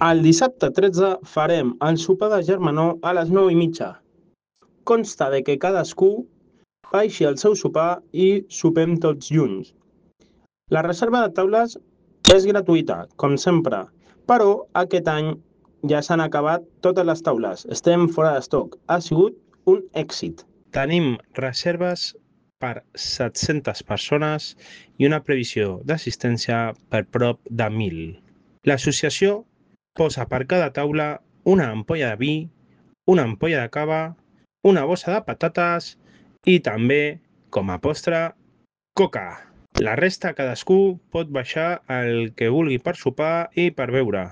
El dissabte 13 farem el sopar de germanor a les 9:30. Consta de que cadascú baixi al seu sopar i sopem tots junts. La reserva de taules és gratuïta, com sempre, però aquest any ja s'han acabat totes les taules. Estem fora d'estoc. Ha sigut un èxit. Tenim reserves per 700 persones i una previsió d'assistència per prop de 1.000. L'associació posa per cada taula una ampolla de vi, una ampolla de cava, una bossa de patates i també, com a postre, coca. La resta cadascú pot baixar el que vulgui per sopar i per beure.